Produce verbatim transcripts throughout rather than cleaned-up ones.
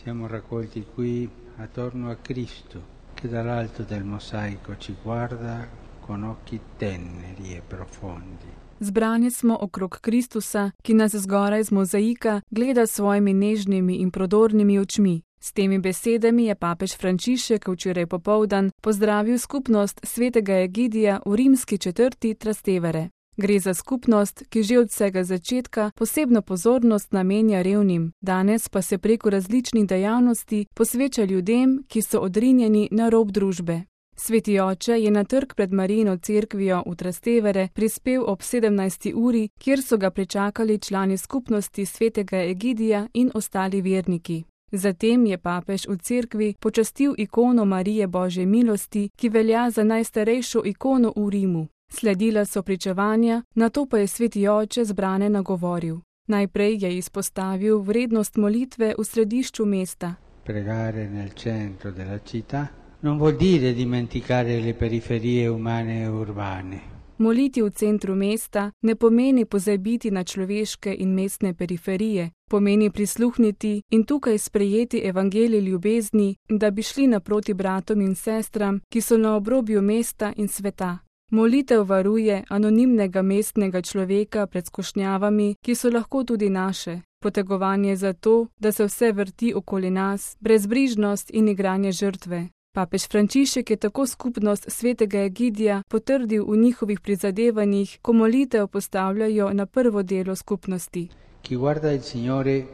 Siamo raccolti qui attorno a Cristo, che dall'alto del mosaico ci guarda con occhi teneri e profondi. Zbrani smo okrog Kristusa, ki nas zgoraj z mozaika gleda s svojimi nežnimi in prodornimi očmi. S temi besedami je papež Frančišek včeraj popoldan pozdravil skupnost svetega Egidija v rimski četrti Trastevere. Gre za skupnost, ki že od vsega začetka posebno pozornost namenja revnim, danes pa se preko različnih dejavnosti posveča ljudem, ki so odrinjeni na rob družbe. Sveti oče je na trg pred Marijino cerkvijo v Trastevere prispel ob sedemnajsti uri, kjer so ga pričakali člani skupnosti svetega Egidija in ostali verniki. Zatem je papež v cerkvi počastil ikono Marije Božje milosti, ki velja za najstarejšo ikono v Rimu. Sledila so pričevanja, nato pa je sveti oče zbrane nagovoril. Najprej je izpostavil vrednost molitve v središču mesta. Pregare nel centro della città non vuol dire dimenticare le periferie umane e urbane. Moliti v centru mesta ne pomeni pozabiti na človeške in mestne periferije, pomeni prisluhniti in tukaj sprejeti evangelij ljubezni, da bi šli naproti bratom in sestram, ki so na obrobju mesta in sveta. Molitev varuje anonimnega mestnega človeka pred skušnjavami, ki so lahko tudi naše. Potegovanje za to, da se vse vrti okoli nas, brezbrižnost in igranje žrtve. Papež Frančišek je tako skupnost svetega Egidija potrdil v njihovih prizadevanjih, ko molitev postavljajo na prvo delo skupnosti. Chi guarda il Signore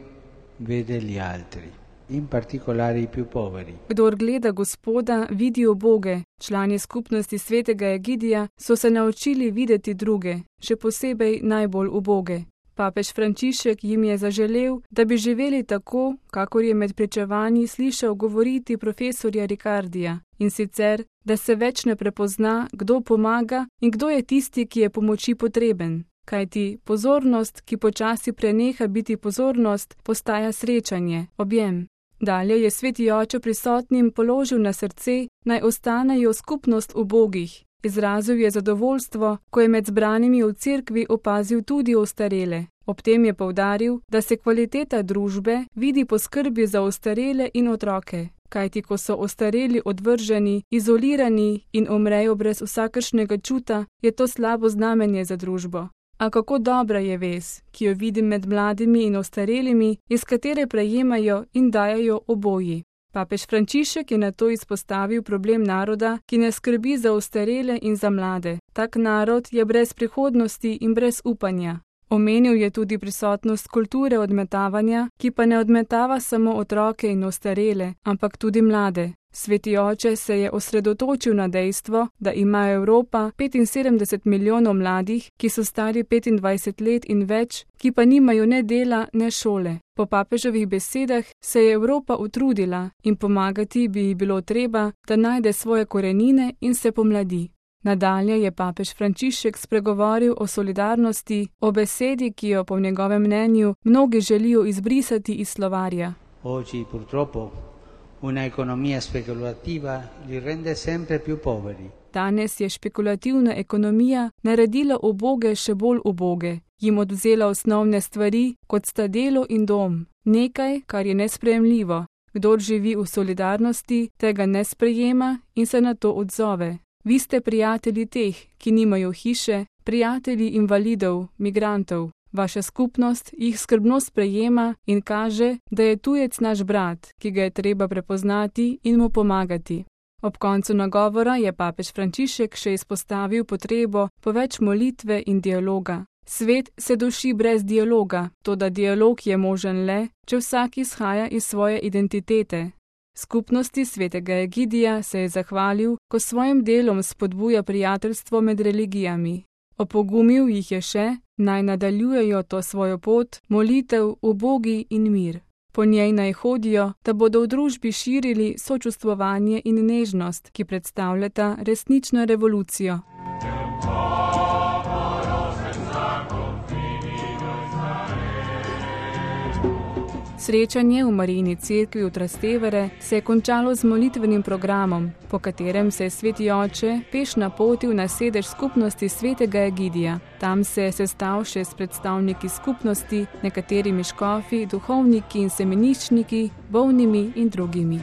vede gli altri, in particolare i più poveri. Kdor gleda Gospoda, vidi uboge. Člani skupnosti svetega Egidija so se naučili videti druge, še posebej najbolj uboge. Papež Frančišek jim je zaželel, da bi živeli tako, kakor je med pričevanji slišal govoriti profesorja Ricardija, in sicer, da se več ne prepozna, kdo pomaga in kdo je tisti, ki je pomoči potreben. Kajti pozornost, ki počasi preneha biti pozornost, postaja srečanje, objem. Dalje je sveti oče prisotnim položil na srce, naj ostanejo skupnost ubogih. Izrazil je zadovoljstvo, ko je med zbranimi v cerkvi opazil tudi ostarele. Ob tem je poudaril, da se kvaliteta družbe vidi po skrbi za ostarele in otroke, kajti ko so ostareli odvrženi, izolirani in umrejo brez vsakršnega čuta, je to slabo znamenje za družbo. A kako dobra je vez, ki jo vidim med mladimi in ostarelimi, iz katere prejemajo in dajajo oboji. Papež Frančišek je nato izpostavil problem naroda, ki ne skrbi za ostarele in za mlade. Tak narod je brez prihodnosti in brez upanja. Omenil je tudi prisotnost kulture odmetavanja, ki pa ne odmetava samo otroke in ostarele, ampak tudi mlade. Sveti oče se je osredotočil na dejstvo, da ima Evropa petinsedemdeset milijonov mladih, ki so stari petindvajset let in več, ki pa nimajo ne dela, ne šole. Po papeževih besedah se je Evropa utrudila in pomagati bi ji bilo treba, da najde svoje korenine in se pomladi. Nadalje je papež Frančišek spregovoril o solidarnosti, o besedi, ki jo po njegovem mnenju mnogi želijo izbrisati iz slovarja. Oggi purtroppo una economia speculativa li rende sempre più poveri. Danes je špekulativna ekonomija naredila uboge še bolj uboge, jim odvzela osnovne stvari, kot sta delo in dom. Nekaj, kar je nesprejemljivo. Kdor živi v solidarnosti, tega ne sprejema in se na to odzove. Vi ste prijatelji teh, ki nimajo hiše, prijatelji invalidov, migrantov. Vaša skupnost jih skrbno sprejema in kaže, da je tujec naš brat, ki ga je treba prepoznati in mu pomagati. Ob koncu nagovora je papež Frančišek še izpostavil potrebo po več molitve in dialoga. Svet se duši brez dialoga, toda dialog je možen le, če vsak izhaja iz svoje identitete. Skupnosti svetega Egidija se je zahvalil, ko svojim delom spodbuja prijateljstvo med religijami. Opogumil jih je še, naj nadaljujejo to svojo pot, molitev, ubogi in mir. Po njej naj hodijo, da bodo v družbi širili sočustvovanje in nežnost, ki predstavljata resnično revolucijo. Srečanje v Marijini cerkvi v Trastevere se je končalo z molitvenim programom, po katerem se je sveti oče peš napotil na sedež skupnosti svetega Egidija. Tam se je sestal še s predstavniki skupnosti, nekaterimi škofi, duhovniki in semeniščniki, bolnimi in drugimi.